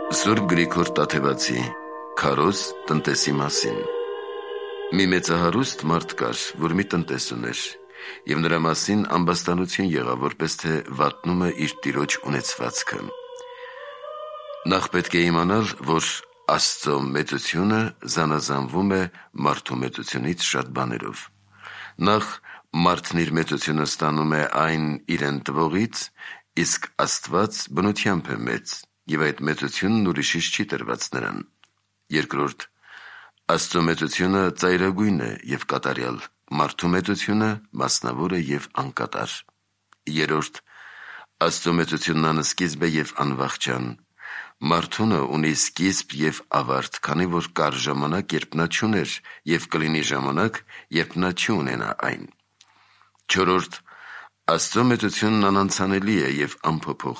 Սուրբ Գրիգոր Տաթևացի Քարոզ տնտեսի մասին։ Մի մեծահարուստ մարդ կար, որ մի տնտես ուներ, և նրա մասին ամբաստանություն եղավ, որպես թե վատնում է իր տիրոջ ունեցվածքը։ Նախ պետք է իմանալ, որ Աստծո մեծությունը զանազանվում է մարդու մեծությունից շատ բաներով։ Նախ մարդն իր մեծությունը ստանում է այն իրեն տվողից, իսկ Աստված բնությամբ է մեծ, և այդ մեծությունն ուրիշից չի տրված նրան։ Երկրորդ, Աստծո մեծությունը ծայրագույն է և կատարյալ, մարդու մեծությունը մասնավոր է և անկատար։ Երրորդ, Աստծո մեծությունն անսկիզբ է և անվախճան։ Մարդունը ունի սկիզբ և ավարտ, քանի որ կար ժամանակ, երբ նա չուներ, և կլինի ժամանակ, երբ նա չի ունենա այն։ Չորրորդ, Աստծո մեծությունն անանցանելի է և անփոփոխ,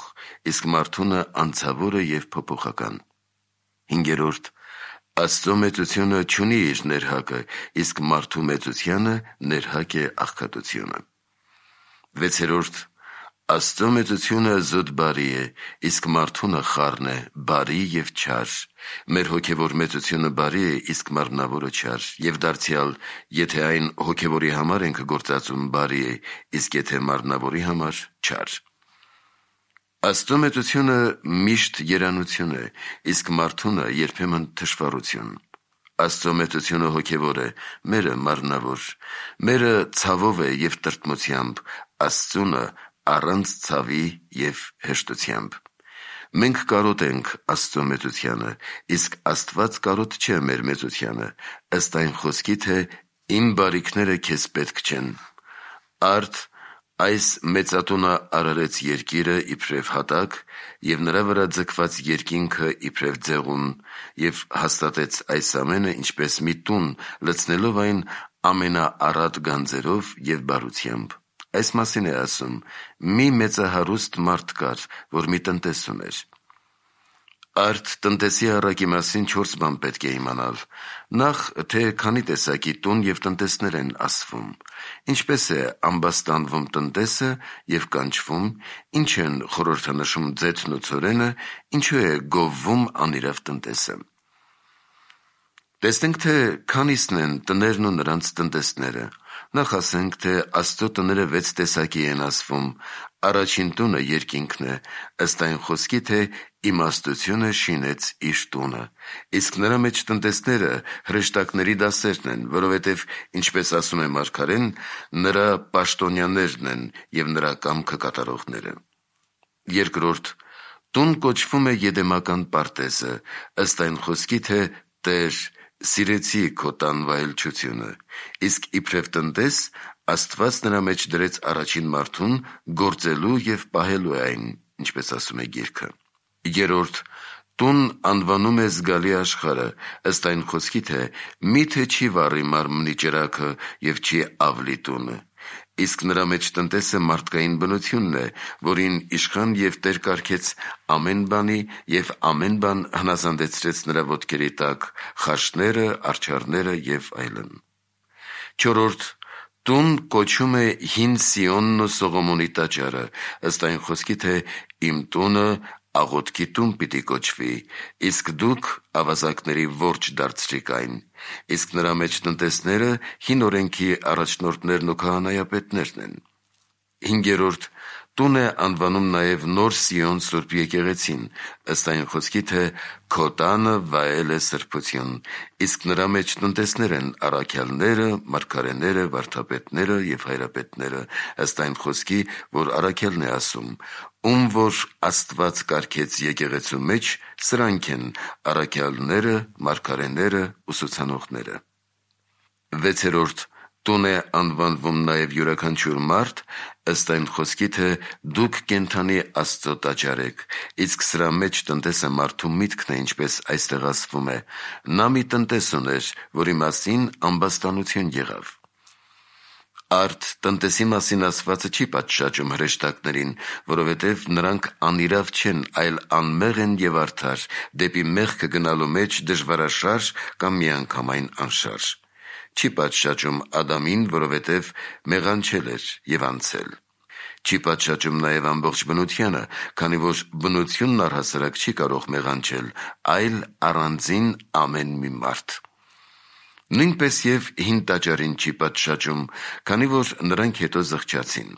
իսկ մարդունը անցավոր է և փոփոխական։ Հինգերորդ, Աստծո մեծությունը չունի իր ներհակը, իսկ մարդու մեծությանը ներհակ է աղքատությունը։ Վեցերորդ, Աստծո մեծությունը զուտ բարի է, իսկ մարդունը խառն է, բարի և չար։ Մեր հոգևոր մեծությունը բարի է, իսկ մարմնավորը չար, և դարձյալ, եթե այն հոգևորի համար ենք գործածում, բարի է, իսկ եթե մարմնավորի համար՝ չար։ Աստծո մեծությունը միշտ երանություն է, իսկ մարդունը երբեմն թշվառություն։ Աստծո մեծությունը հոգևոր է, մերը մարմնավոր։ Մերը ցավով է և տրտմությամբ, Աստծունը առանց ցավի և հեշտությամբ։ Մենք կարոտ ենք Աստծո մեծությանը, իսկ Աստված կարոտ չէ մեր մեծությանը, ըստ այն խոսքի, թե «Իմ բարիքները քեզ պետք չեն»։ Արդ այս մեծատունը արարեց երկիրը իբրև հատակ, և նրա վրա ձգված երկինքը իբրև ձեղուն, և հաստատեց այս ամենը ինչպես մի տուն, լցնելով այն ամենաառատ գանձերով և բարությամբ։ Այս մասին է ասում. մի մեծահարուստ մարդ կար, որ մի տնտես ուներ։ Արդ տնտեսի առակի մասին 4 բան պետք է իմանալ։ Նախ, թե քանի տեսակի տուն և տնտեսներ են ասվում, ինչպես է ամբաստանվում տնտեսը և կանչվում, ինչ են խորհրդանշում ձեթն ու ցորենը, ինչու է գովվում անիրավ տնտեսը։ Տեսնենք, թե քանիսն են տներն ու նրանց տնտեսները։ Նախ ասենք, թե Աստծո տները 6 տեսակի են ասվում։ Առաջին տունը երկինքն է, ըստ այն խոսքի, թե իմաստությունը շինեց իր տունը, իսկ նրա մեջ տնտեսները հրեշտակների դասերն են, որովհետև, ինչպես ասում է մարգարեն, նրա պաշտոնյաներն են և նրա կամքը կատարողները։ Երկրորդ տուն կոչվում է Եդեմական պարտեզը, ըստ այն խոսքի, թե Տեր, սիրեցի քո տան վայելչությունը, իսկ իբրև տնտես Աստված նրա մեջ դրեց առաջին մարդուն գործելու և պահելու է այն, ինչպես ասում է գիրքը։ Երրորդ տուն անվանում է զգալի աշխարհը, ըստ այն խոսքի, թե միթե չի վառի մարմնի ճրագը և չի ավլի տունը, իսկ նրա մեջ տնտեսը մարդկային բնությունն է, որին իշխան և տեր կարգեց ամեն բանի և ամեն բան հնազանդեցրեց նրա ոտքերի տակ, խաշները, արջառները և այլն։ Չորրորդ տուն կոչում է Հին Սիոնն ու Սողոմոնի տաճարը, ըստ այն խոսքի, թե իմ տունը աղոթքի տուն պիտի կոչվի, իսկ դուք ավազակների որջը դարձրիք այն, իսկ նրա մեջ տնտեսները հին օրենքի առաջնորդներն ու քահանայապետներն են։ Հինգերորդ տուն է անվանում նաև Նոր Սիոն Սուրբ եկեղեցին, ըստ այն խոսքի, թե քո տանը վայել է սրբություն, իսկ նրա մեջ տնտեսներ են առաքյալները, մարգարեները, վարդապետները և հայրապետները, ըստ այն խոսքի, որ առաքյալն է ասում. ում որ Աստված կարգեց եկեղեցու մեջ, սրանք են առաքյալները, մարգարեները, ուսուցանողները։ Վեցերորդ տուն է անվանվում նաև յուրաքանչյուր մարդ, ըստ այն խոսքի, թե դուք կենդանի Աստծո տաճար եք, իսկ սրա մեջ տնտեսը մարդու միտքն է, ինչպես այստեղ ասվում է. նա մի տնտես ուներ, որի մասին ամբաստանություն եղավ։ Արդ տնտեսի մասին ասվածը չի պատշաճում հրեշտակներին, որովհետև նրանք անիրավ չեն, այլ անմեղ են և արդար, դեպի մեղքը գնալու մեջ դժվարաշարժ կամ միանգամայն անշարժ։ Չի պատշաճում Ադամին, որովհետև մեղանչել էր և անցել։ Չի պատշաճում նաև ամբողջ բնությանը, քանի որ բնությունն առհասարակ չի կարող մեղանչել, այլ առանձին ամեն մի մարդ։ Նույնպես և հին տաճարին չի պատշաճում, քանի որ նրանք հետո զղջացին։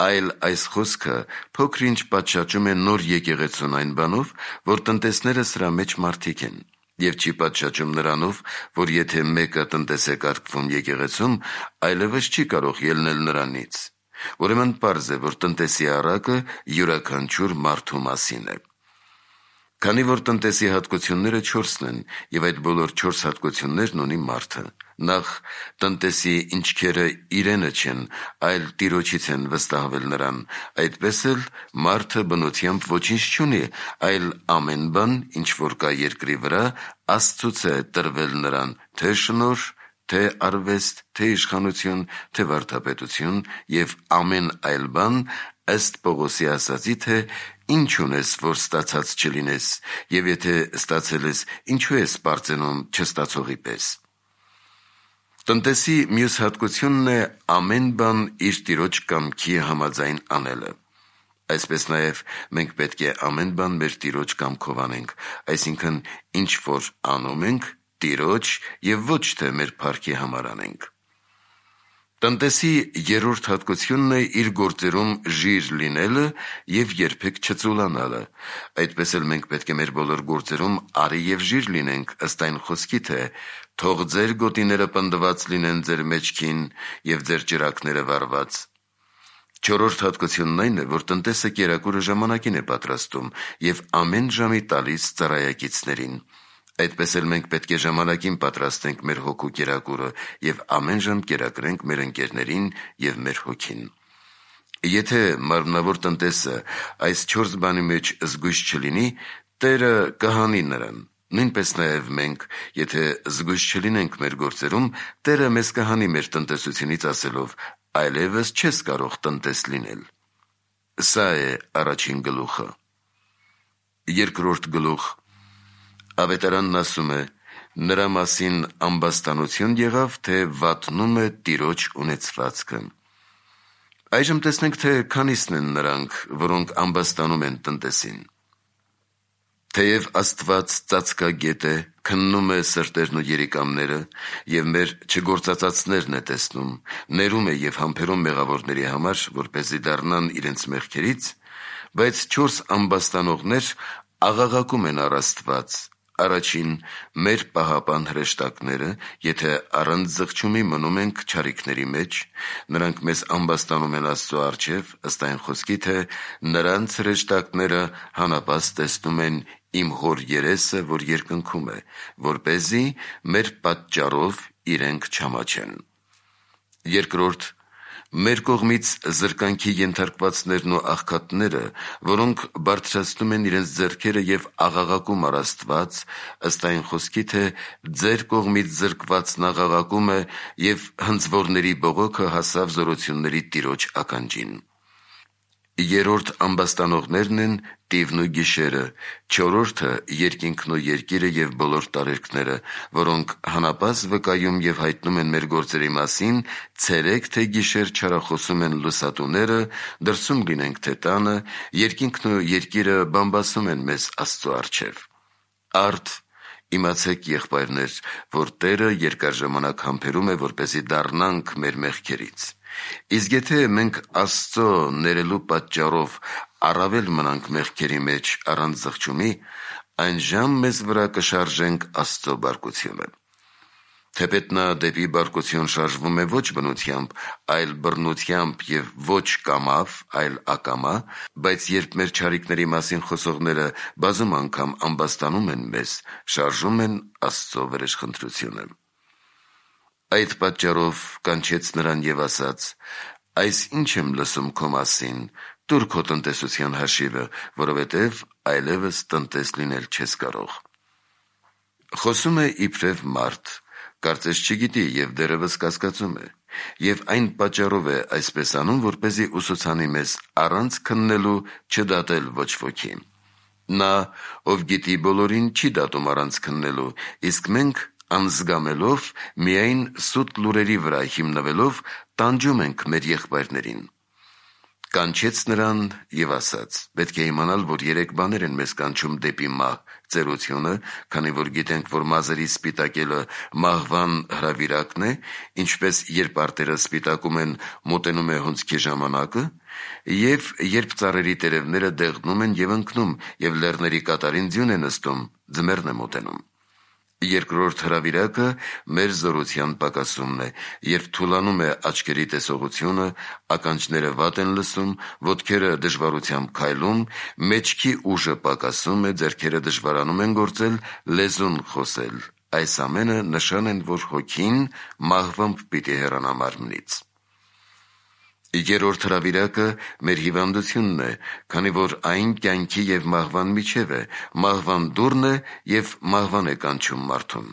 Այլ այս խոսքը փոքր-ինչ պատշաճում է նոր եկեղեցուն այն բանով, որ տնտեսները սրա մեջ մարդիկ են, և չի պատշաճում նրանով, որ եթե մեկը տնտես է կարգվում եկեղեցում, այլևս չի կարող ելնել նրանից։ Ուրեմն պարզ է, որ տնտեսի առակը յուրաքանչյուր մարդու մասին է։ Քանի որ տնտեսի հատկությունները 4-ն են, և այդ բոլոր 4 հատկություններն ունի մարդը։ Նախ, տնտեսի ինչքերը իրենը չեն, այլ Տիրոջից են վստահվել նրան, այդպես էլ մարդը բնությամբ ոչինչ չունի, այլ ամեն բան, ինչ որ կա երկրի վրա, Աստծուց է տրվել նրան, թե շնորհ, թե արվեստ, թե իշխանություն, թե վարդապետություն և ամեն այլ բան, ըստ Պողոսի ասացի, թե ինչ ունես, որ ստացած չլինես, և եթե ստացել ես, ինչու ես պարծենում չստացողի պես։ Տնտեսի մյուս հատկությունն է ամեն բան իր Տիրոջ կամքի համաձայն անելը։ Այսպես նաև մենք պետք է ամեն բան մեր Տիրոջ կամքով անենք, այսինքն ինչ որ անում ենք, Տիրոջ և ոչ թե մեր փառքի համար անենք։ Տնտեսի երրորդ հատկությունն է իր գործերում ժիր լինելը և երբեք չծուլանալը։ Այդպես էլ մենք պետք է մեր բոլոր գործերում արի և ժիր լինենք, ըստ այն խոսքի, թե «Թող ձեր գոտիները պնդված լինեն ձեր մեջքին և ձեր ճրագները վառված»։ Չորրորդ հատկությունն այն է, որ տնտեսը կերակուրը ժամանակին է պատրաստում և ամեն ժամի տալիս ծառայակիցներին։ Այդպես էլ մենք պետք է ժամանակին պատրաստենք մեր հոգու կերակուրը և ամեն ժամ կերակրենք մեր ընկերներին և մեր հոգին։ Եթե մարմնավոր տնտեսը այս 4 բանի մեջ զգույշ չլինի, Տերը կհանի նրան։ Նույնպես նաև մենք, եթե զգույշ չլինենք մեր գործերում, Տերը մեզ կհանի մեր տնտեսությունից ասելով. այլևս չես կարող տնտես լինել։ Սա է առաջին գլուխը։ Երկրորդ գլուխ։ Ավետարանն ասում է. նրա մասին ամբաստանություն եղավ, թե վատնում է Տիրոջ ունեցվածքը։ Այժմ տեսնենք, թե քանիսն են նրանք, որոնք ամբաստանում են տնտեսին։ Թեև Աստված ծածկագետ է, քննում է սրտերն ու երիկամները և մեր չգործածածներն է տեսնում, ներում է և համբերում մեղավորների համար, որպեսզի դառնան իրենց մեղքերից, բայց 4 ամբաստանողներ աղաղակում են առ Աստված։ Առաջին, մեր պահապան հրեշտակները, եթե առանց զղջումի մնում ենք չարիքների մեջ, նրանք մեզ ամբաստանում են Աստծո առջև, ըստ այն խոսքի, թե նրանց հրեշտակները հանապազդ տեսնում են իմ Հոր երեսը, որ երկնքում է, որպեսզի մեր պատճառով իրենք չամաչեն։ Երկրորդ, մեր կողմից զրկանքի ենթարկվածներն ու աղքատները, որոնք բարձրացնում են իրենց ձեռքերը և աղաղակում առ Աստված, ըստ այն խոսքի, թե ձեր կողմից զրկվածն աղաղակում է և հնձվորների բողոքը հասավ զորությունների Տիրոջ ականջին։ Երրորդ ամբաստանողներն են տիվն ու գիշերը, չորրորդը երկինքն ու երկիրը և բոլոր տարերքները, որոնք հանապազդ վկայում և հայտնում են մեր գործերի մասին, ցերեկ թե գիշեր չարախոսում են լուսատուները, դրսում լինենք թե տանը, երկինքն ու երկիրը բամբասում են մեզ Աստծո առջև։ Արդ իմացեք, եղբայրներ, որ Տերը երկար ժամանակ համբերում է, որպեսզի դառնանք մեր մեղքերից։ Իսկ եթե մենք Աստծո ներելու պատճառով առավել մնանք մեղքերի մեջ առանց զղջումի, այնժամ մեզ վրա կշարժենք Աստծո բարկությունը։ Թեպետ նա դեպի բարկություն շարժվում է ոչ բնությամբ, այլ բռնությամբ և ոչ կամավ, այլ ակամա, բայց երբ մեր չարիքների մասին խոսողները բազում անգամ ամբաստանում են մեզ, շարժում են Աստծո վրեժխնդրությունը։ Այդ պատճառով կանչեց նրան և ասաց. «Այս ինչ եմ լսում քո մասին, տուր քո տնտեսության հաշիվը, որովհետև այլևս տնտես լինել չես կարող»։ Խոսում է իբրև մարդ, կարծես չգիտի և դեռևս կասկածում է, և այն պատճառով է այսպես անում, որպեսզի ուսուցանի մեզ առանց քննելու չդատել ոչ ոքի։ Նա, ով գիտի բոլորին, չի դատում առանց քննելու, իսկ մենք անզգամելով, միայն սուտ լուրերի վրա հիմնվելով, տանջում ենք մեր եղբայրներին։ կանչեց նրան և ասաց. «Պետք է իմանալ, որ 3 բաներ են մեզ կանչում դեպի մահ. ծերությունը, քանի որ գիտենք, որ մազերի սպիտակելը մահվան հրավիրակն է, ինչպես երբ արտերը սպիտակում են, մոտենում է հունձքի ժամանակը, և երբ ծառերի տերևները դեղնում են և ընկնում, և լեռների կատարին ձյուն է նստում, ձմեռն է մոտենում։ Երկրորդ հրավիրակը մեր զորության պակասումն է, երբ թուլանում է աչքերի տեսողությունը, ականջները վատ են լսում, ոտքերը դժվարությամբ քայլում, մեջքի ուժը պակասում է, ձեռքերը դժվարանում են գործել, լեզուն խոսել։ Այս ամենը նշան են, որ հոգին մահվամբ պիտի հեռանա մարմնից։ Երրորդ հրավիրակը մեր հիվանդությունն է, քանի որ այն կյանքի և մահվան միջև է, մահվան դուռն է և մահվան է կանչում մարդուն։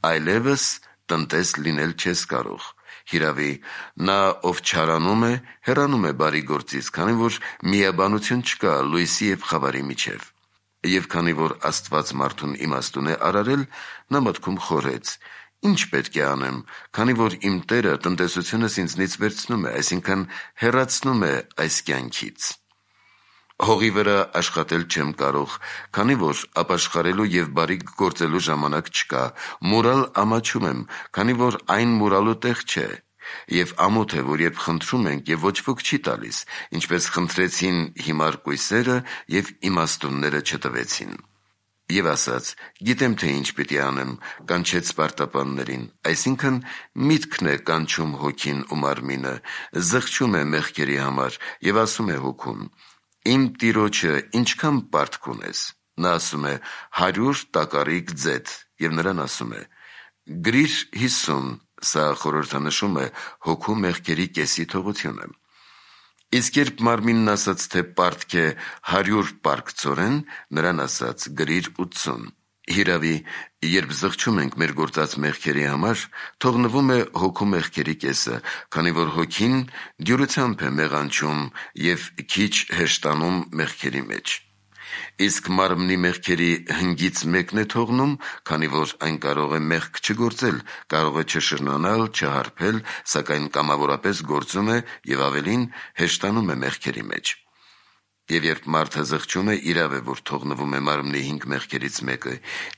Այլևս տնտես լինել չես կարող։ Հիրավի, նա, ով չարանում է, հեռանում է բարի գործից, քանի որ միաբանություն չկա լույսի և խավարի միջև։ Եվ քանի որ Աստված մարդուն իմաստուն է արարել, նա մտքում խորհեց. «Ինչ պետք է անեմ, քանի որ իմ Տերը տնտեսությունս ինձնից վերցնում է, այսինքն հեռացնում է այս կյանքից։ Հողի վրա աշխատել չեմ կարող, քանի որ ապաշխարելու և բարիք գործելու ժամանակ չկա, մուրալ ամաչում եմ, քանի որ այն մուրալու տեղ չէ, և ամոթ է, որ երբ խնդրում ենք և ոչ ոք չի տալիս, ինչպես խնդրեցին հիմար կույսերը և իմաստունները չտվեցին»։ Եվ ասաց. «Գիտեմ, թե ինչ պիտի անեմ», կանչեց սպարտապաններին, այսինքն միտքն է կանչում հոգին ու մարմինը, զղջում է մեղքերի համար և ասում է հոգուն. «Իմ տիրոջը ինչքան պարտք ունես»։ Նա ասում է. «100 տակառիկ ձեթ», և նրան ասում է. «Գրիր 50», սա խորհրդանշում է հոգու մեղքերի կեսի թողությունը։ Իսկ երբ մարմինն ասաց, թե պարտք է 100 պարկծորեն, նրան ասաց. «Գրիր 80»։ Հիրավի, երբ զղջում ենք մեր գործած մեղքերի համար, թողնվում է հոգու մեղքերի կեսը, քանի որ հոգին դյուրությամբ է մեղանչում և քիչ հեշտանում մեղքերի մեջ։ Իսկ մարմնի մեղքերի հնգից մեկն է թողնում, քանի որ այն կարող է մեղք չգործել, կարող է չշրնանալ, չհարբել, սակայն կամավորապես գործում է և ավելին հեշտանում է մեղքերի մեջ։ Եվ երբ մարդը զղջում է, իրավ է, որ թողնվում է մարմնի 5 մեղքերից մեկը,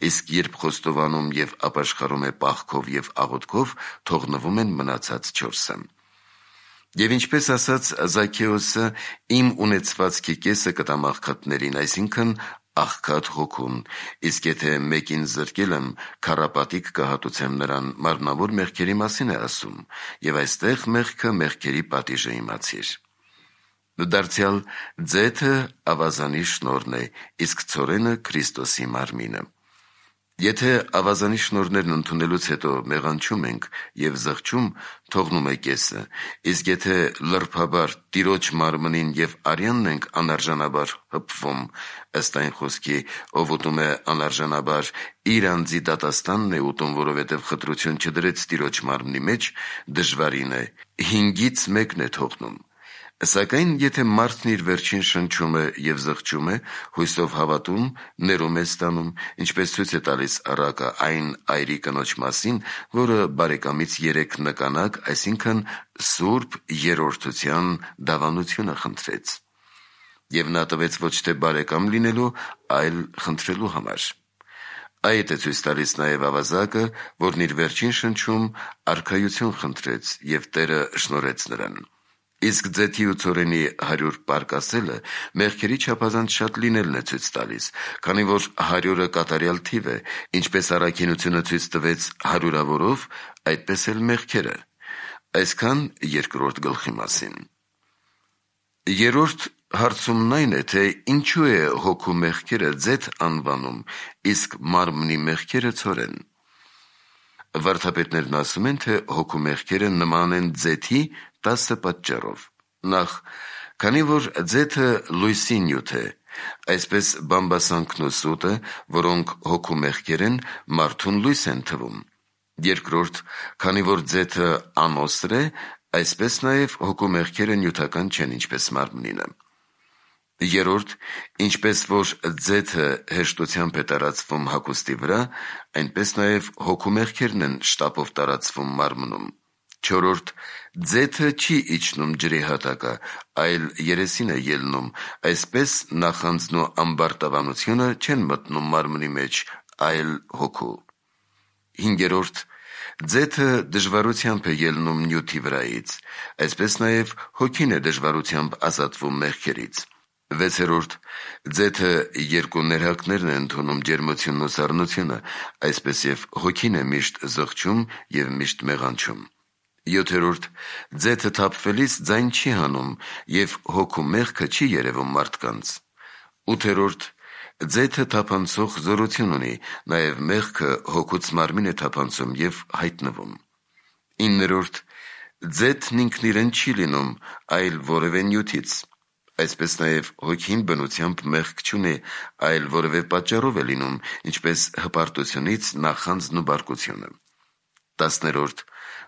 իսկ երբ խոստովանում և ապաշխարում է պաղքով և աղոթքով, թողնվում են մնացած 4-ը։ Եվ ինչպես ասաց Զաքեոսը, իմ ունեցվածքի կեսը կտամ աղքատներին, այսինքն աղքատ հոգուն, իսկ եթե մեկին զրկել եմ, քառապատիկ կհատուցեմ նրան, մարմնավոր մեղքերի մասին է ասում, և այստեղ մեղքը մեղքերի պատիժը իմացիր։ Դարձյալ ձեթը ավազանի շնորհն է, իսկ ցորենը Քրիստոսի մարմինը։ Եթե ավազանի շնորհներն ընդունելուց հետո մեղանչում ենք և զղջում, թողնում է կեսը, իսկ եթե լրբաբար Տիրոջ մարմնին և արյանն ենք անարժանաբար հպվում, ըստ այն խոսքի, ով ուտում է անարժանաբար, իր անձի դատաստանն է ուտում, որովհետև խտրություն չդրեց Տիրոջ մարմնի մեջ, դժվարին է, 5-ից մեկն է թողնում։ Սակայն եթե մարդն իր վերջին շնչում է և զղջում է, հույսով հավատում, ներում է ստանում, ինչպես ցույց է տալիս առակը այն այրի կնոջ մասին, որը բարեկամից 3 նկանակ, այսինքն սուրբ երրորդության դավանությունը խնդրեց։ Եվ նա տվեց ոչ թե բարեկամ լինելու, այլ խնդրելու համար։ Այդ է ցույց տալիս նաև ավազակը, որն իր վերջին շնչում արքայություն խնդրեց, և Տերը շնորհեց նրան։ Իսկ ձեթի ու ցորենի 100 պարկ ասելը մեղքերի չափազանց շատ լինելն է ցույց տալիս, քանի որ 100-ը կատարյալ թիվ է, ինչպես առաքինությունը ցույց տվեց 100-ավորով, այդպես էլ մեղքերը։ Այսքան երկրորդ գլխի մասին։ Երրորդ հարցումն այն է, թե ինչու է հոգու մեղքերը ձեթ անվանում, իսկ մարմնի մեղքերը ցորեն։ Վարդապետներն ասում են, թե հոգու մեղքերը նման են ձեթի 10 պատճառով։ Նախ, քանի որ ձեթը լույսի նյութ է, այսպես բամբասանքն ու սուտը, որոնք հոգու մեղքեր են, մարդուն լույս են թվում։ Երկրորդ, քանի որ ձեթը անոսր է, այսպես նաև հոգու մեղքերը նյութական չեն, ինչպես մարմնինը։ Երրորդ, ինչպես որ ձեթը հեշտությամբ է տարածվում հագուստի վրա, այնպես նաև հոգու մեղքերն են շտապով տարածվում մարմնում։ Չորրորդ. ձեթը չի իջնում ջրի հատակը, այլ երեսին է ելնում, այսպես նախանձն ու ամբարտավանությունը չեն մտնում մարմնի մեջ, այլ հոգու։ Հինգերորդ. ձեթը դժվարությամբ է ելնում նյութի վրայից, այսպես նաև հոգին է դժվարությամբ ազատվում մեղքերից։ Վեցերորդ. ձեթը երկու ներհակներն է ընդունում ջերմությունն ու սառնությունը, այսպես և հոգին է միշտ զղջում և միշտ մեղանչում։ Յոթերորդ. ձեթը թափվելիս ձայն չի հանում, և հոգու մեղքը չի երևում մարդկանց։ Ութերորդ. ձեթը թափանցող զորություն ունի, նաև մեղքը հոգուց մարմին է թափանցում և հայտնվում։ Իններորդ. ձեթն ինքն իրեն չի լինում, այլ որևէ նյութից, այսպես նաև հոգին բնությամբ մեղք չունի, այլ որևէ պատճառով է լինում, ինչպես հպարտությունից, նախանձն ու բարկությունը։ Տասներորդ.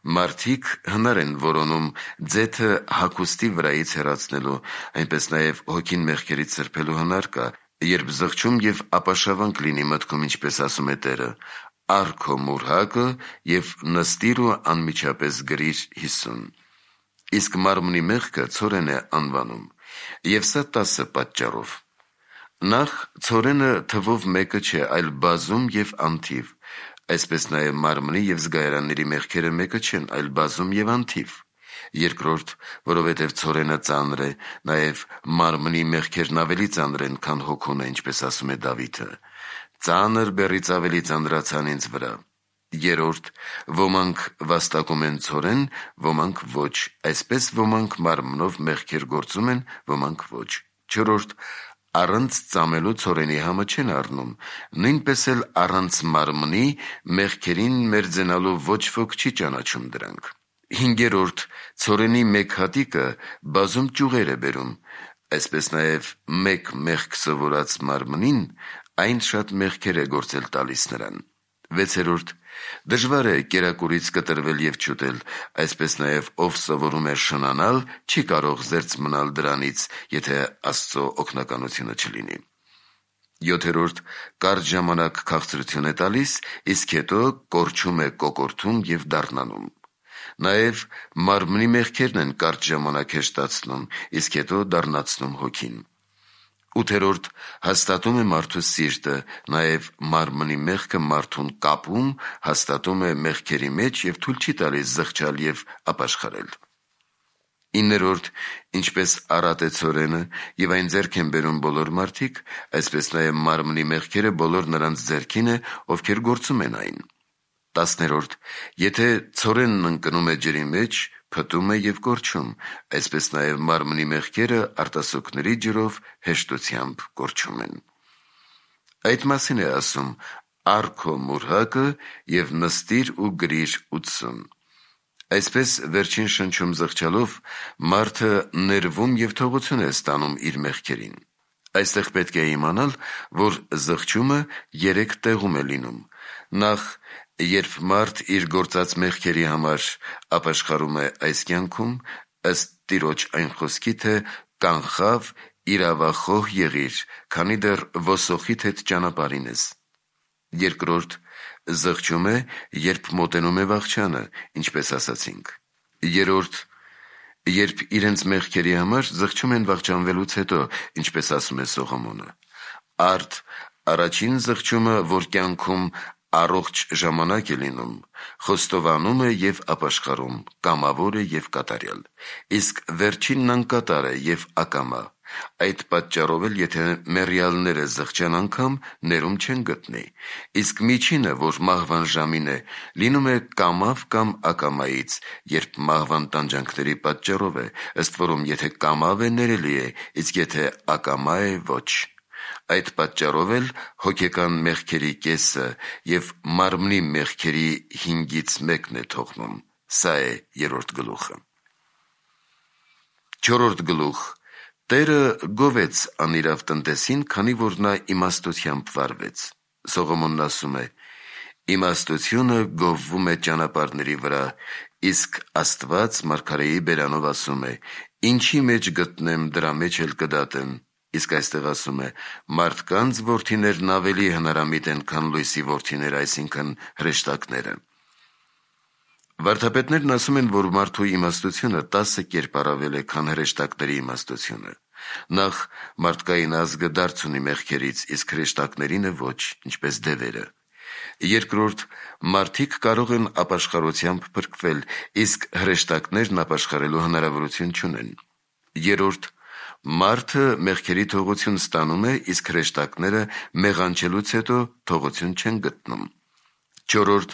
մարդիկ հնար են որոնում ձեթը հագուստի վրայից հեռացնելու, այնպես նաև հոգին մեղքերից սրբելու հնար կա, երբ զղջում և ապաշավանք լինի մտքում, ինչպես ասում է Տերը. «Առ քո մուրհակը և նստիր ու անմիջապես գրիր 50»։ Իսկ մարմնի մեղքը ցորեն է անվանում, և սա 10 պատճառով։ Նախ, ցորենը թվով մեկը չէ, այլ բազում և անթիվ, այսպես նաև մարմնի և զգայարանների մեղքերը մեկը չեն, այլ բազում և անթիվ։ Երկրորդ, որովհետև ցորենը ծանր է, նաև մարմնի մեղքերն ավելի ծանր են, քան հոգունը, ինչպես ասում է Դավիթը. «Ծանր բեռից ավելի ծանրացան ինձ վրա»։ Երրորդ, ոմանք վաստակում են ցորեն, ոմանք ոչ, այսպես ոմանք մարմնով մեղքեր գործում են, ոմանք ոչ։ Չորրորդ, առանց ծամելու ցորենի համը չեն առնում, նույնպես էլ առանց մարմնի մեղքերին մերձենալու ոչ ոք չի ճանաչում դրանք։ Հինգերորդ, ցորենի մեկ հատիկը բազում ճյուղեր է բերում, այսպես նաև մեկ մեղք սովորած մարմնին այն շատ մեղքեր է գործել տալիս նրան։ Վեցերորդ, դժվար է կերակուրից կտրվել և չուտել, այսպես նաև ով սովորում է շնանալ, չի կարող զերծ մնալ դրանից, եթե Աստծո օգնականությունը չլինի։ Յոթերորդ, կարճ ժամանակ քաղցրություն է տալիս, իսկ հետո կորչում է կոկորթում և դառնանում։ Նաև մարմնի մեղքերն են կարճ ժամանակ հեշտացնում, իսկ հետո դառնացնում հոգին։ Ութերորդ, հաստատում է մարդու սիրտը, նաև մարմնի մեղքը մարդուն կապում, հաստատում է մեղքերի մեջ և թույլ չի տալիս զղջալ և ապաշխարել։ Իններորդ, ինչպես առատ է ցորենը, և այն ձեռք են բերում բոլոր մարդիկ, այսպես նաև մարմնի մեղքերը բոլոր նրանց ձեռքին է, ովքեր գործում են այն։ Տասներորդ, եթե ցորենն ընկնում է ջրի մեջ, փտում է և կորչում, այսպես նաև մարմնի մեղքերը արտասուքների ջրով հեշտությամբ կորչում են։ Այդ մասին է ասում. «Առ քո մուրհակը և նստիր ու գրիր 80»։ Այսպես վերջին շնչում զղջալով մարդը ներվում և թողություն է ստանում իր մեղքերին։ Այստեղ պետք է իմանալ, որ զղջումը 3 տեղում է լինում։ Նախ, երբ մարդ իր գործած մեղքերի համար ապաշխարում է այս կյանքում, ըստ Տիրոջ այն խոսքի, թե «կանխավ, իրավախոհ եղիր, քանի դեռ ոսոխիդ հետ ճանապարհին ես»։ Երկրորդ, զղջում է, երբ մոտենում է վախճանը, ինչպես ասացինք։ Երրորդ, երբ իրենց մեղքերի համար զղջում են վախճանվելուց հետո, ինչպես ասում է Սողոմոնը։ Արդ, առաջին զղջումը, որ կյանքում առողջ ժամանակ է լինում, խոստովանում է և ապաշխարում, կամավոր է և կատարյալ, իսկ վերջինն անկատար է և ակամա։ Այդ պատճառով էլ եթե մեռյալները զղջան անգամ, ներում չեն գտնի, իսկ միջինը, որ մահվան ժամին է, լինում է կամավ կամ ակամայից, երբ մահվան տանջանքների պատճառով է, ըստ որում եթե կամավ է, ներելի է, իսկ եթե ակամա է, ոչ։ Այդ պատճառով էլ հոգեկան մեղքերի կեսը և մարմնի մեղքերի 5/1 է թողնում։ Սա է 3-րդ գլուխը։ 4-րդ գլուխ. Տերը գովեց անիրավ տնտեսին, քանի որ նա իմաստությամբ վարվեց։ Սողոմոնն ասում է. «Իմաստությունը գովվում է ճանապարհների վրա, իսկ Աստված մարգարեի բերանով ասում է. ինչի մեջ գտնեմ, դրա մեջ էլ կդատեմ»։ Իսկ այստեղ ասում է. մարդկանց որդիներն ավելի հնարամիտ են, քան լույսի որդիները, այսինքն հրեշտակները։ Վարդապետներն ասում են, որ մարդու իմաստությունը 10 կերպ առավել է, քան հրեշտակների իմաստությունը։ Նախ, մարդկային ազգը դարձ ունի մեղքերից, իսկ հրեշտակներինը ոչ, ինչպես դևերը։ Երկրորդ, մարդիկ կարող են ապաշխարությամբ փրկվել, իսկ հրեշտակներն ապաշխարելու հնարավորություն չունեն։ Երրորդ, մարդը մեղքերի թողություն ստանում է, իսկ հրեշտակները մեղանչելուց հետո թողություն չեն գտնում։ Չորրորդ,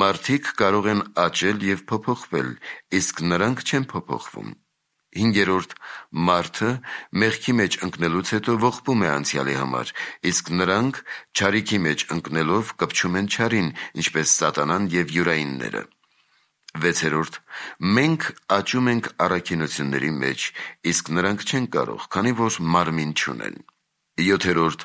մարդիկ կարող են աճել և փոփոխվել, իսկ նրանք չեն փոփոխվում։ Հինգերորդ, մարդը մեղքի մեջ ընկնելուց հետո ողբում է անցյալի համար, իսկ նրանք չարիքի մեջ ընկնելով կպչում են չարին, ինչպես սատանան և յուրայինները։ Վեցերորդ, մենք աճում ենք առաքինությունների մեջ, իսկ նրանք չեն կարող, քանի որ մարմին չունեն։ Յոթերորդ,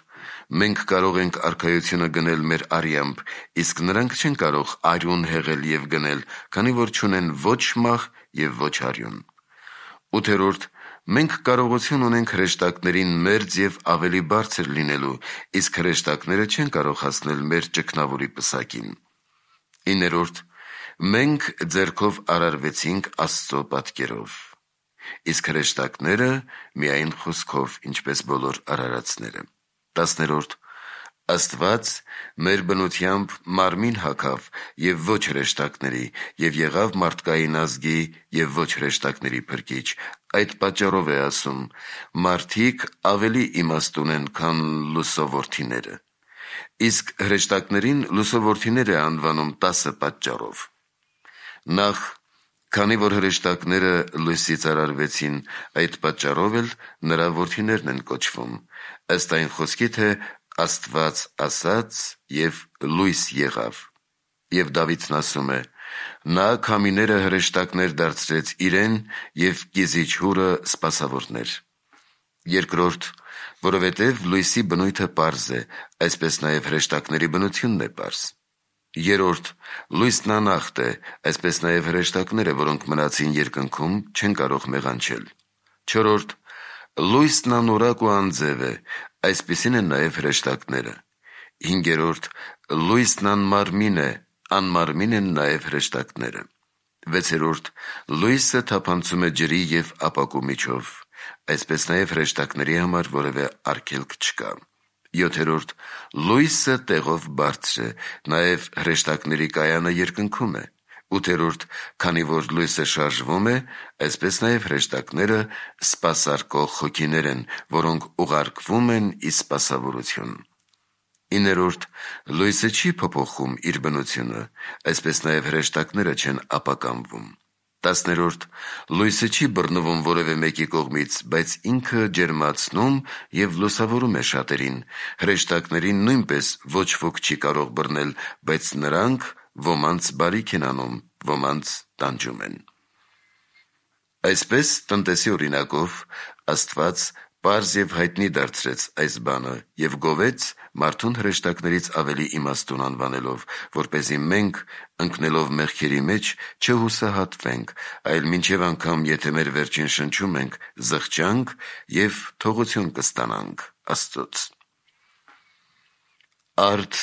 մենք կարող ենք արքայությունը գնել մեր արյամբ, իսկ նրանք չեն կարող արյուն հեղել և գնել, քանի որ չունեն ոչ մահ և ոչ արյուն։ Ութերորդ, մենք կարողություն ունենք հրեշտակներին մերձ և ավելի բարձր լինելու, իսկ հրեշտակները չեն կարող հասնել մեր ճգնավորի պսակին։ Իներորդ, մենք ձեռքով արարվեցինք Աստծո պատկերով, իսկ հրեշտակները միայն խոսքով, ինչպես բոլոր արարածները։ 10-րդ, Աստված մեր բնությամբ մարմին հագավ և ոչ հրեշտակների, և եղավ մարդկային ազգի և ոչ հրեշտակների փրկիչ։ Այդ պատճառով է ասում. մարդիկ ավելի իմաստ ունեն, քան լուսո որդիները։ Իսկ հրեշտակներին լուսո որդիներ է անվանում 10 պատճառով։ Նախ, քանի որ հրեշտակները լույսից արարվեցին, այդ պատճառով էլ նրա որդիներն են կոչվում, ըստ այն խոսքի, թե Աստված ասաց և լույս եղավ։ Եվ Դավիթն ասում է. նա քամիները հրեշտակներ դարձրեց իրեն և կիզիչ հուրը սպասավորներ։ Երկրորդ, որովհետև լույսի բնույթը պարզ է, այսպես նաև հրեշտակների բնությունն է պարզ։ Երրորդ, լույսն անախտ է, այսպես նաև հրեշտակները, որոնք մնացին երկնքում, չեն կարող մեղանչել։ Չորրորդ, լույսն անորակ ու անձև է, այսպիսին են նաև հրեշտակները։ Հինգերորդ, լույսն անմարմին է, անմարմին են նաև հրեշտակները։ Վեցերորդ, լույսը թափանցում է ջրի և ապակու միջով, այսպես նաև հրեշտակների համար որևէ արգելք չկա։ Յոթերորդ, լույսը տեղով բարձր է, նաև հրեշտակների կայանը երկնքում է։ Ութերորդ, քանի որ լույսը շարժվում է, այսպես նաև հրեշտակները սպասարկող հոգիներ են, որոնք ուղարկվում են ի սպասավորություն։ Իներորդ, լույսը չի փոփոխում իր բնությունը, այսպես նաև հրեշտակները չեն ապականվում։ 10-րդ, լույսը չի բռնվում որևէ մեկի կողմից, բայց ինքը ջերմացնում և լուսավորում է շատերին։ Հրեշտակներին նույնպես ոչ ոք չի կարող բռնել, բայց նրանք ոմանց բարիք են անում, ոմանց տանջում են։ Այսպես, տնտեսի օրինակով, Աստված պարզ և հայտնի դարձրեց այս բանը և գովեց մարդուն հրեշտակներից ավելի իմաստուն անվանելով, որպեսզի մենք, ընկնելով մեղքերի մեջ, չհուսահատվենք, այլ մինչև անգամ, եթե մեր վերջին շնչում ենք, զղջանք և թողություն կստանանք Աստծուց։ Արդ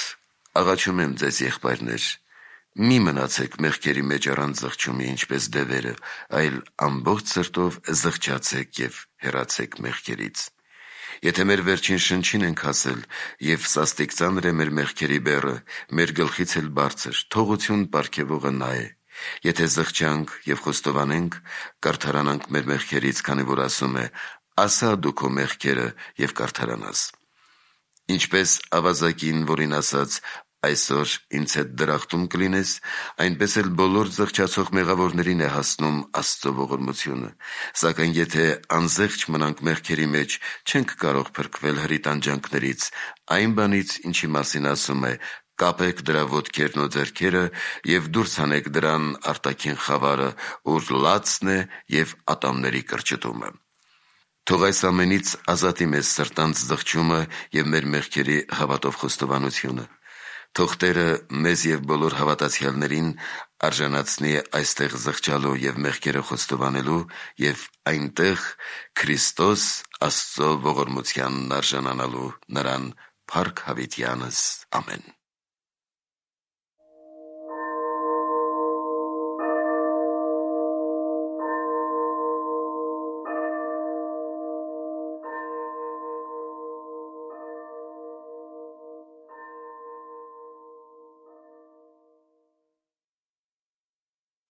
աղաչում եմ ձեզ, եղբայրներ, մի մնացեք մեղքերի մեջ առանց զղջումի, ինչպես դևերը, այլ ամբողջ սրտով զղջացեք և հեռացեք մեղքերից։ Եթե մեր վերջին շնչին ենք հասել, և սաստիկ ծանր է մեր մեղքերի բեռը, մեր գլխից էլ բարձր, թողություն պարգևողը նա է։ Եթե զղջանք և խոստովանենք, կարդարանանք մեր մեղքերից, քանի որ ասում է. «Ասա դու քո մեղքերը և կարդարանաս»։ Ինչպես ավազակին, որին ասաց. «Այսօր ինձ հետ դրախտում կլինես», այնպես էլ բոլոր զղջացող մեղավորներին է հասնում Աստծո ողորմությունը։ Սակայն եթե անզեղչ մնանք մեղքերի մեջ, չենք կարող փրկվել հրի տանջանքներից, այն բանից, ինչի մասին ասում է. «Կապեք դրա ոտքերն ու ձեռքերը և դուրս հանեք դրան արտաքին խավարը, ուր լացն է և ատամների կրճտումը»։ Թող այս ամենից ազատի մեզ սրտանց զղջումը և մեր մեղքերի հավատով խոստովանությունը։ Թող Տերը մեզ և բոլոր հավատացյալներին արժանացնի այստեղ զղջալու և մեղքերը խոստովանելու և այնտեղ Քրիստոս Աստծո ողորմությանն արժանանալու նրան փառք հավիտյանս։ Ամեն։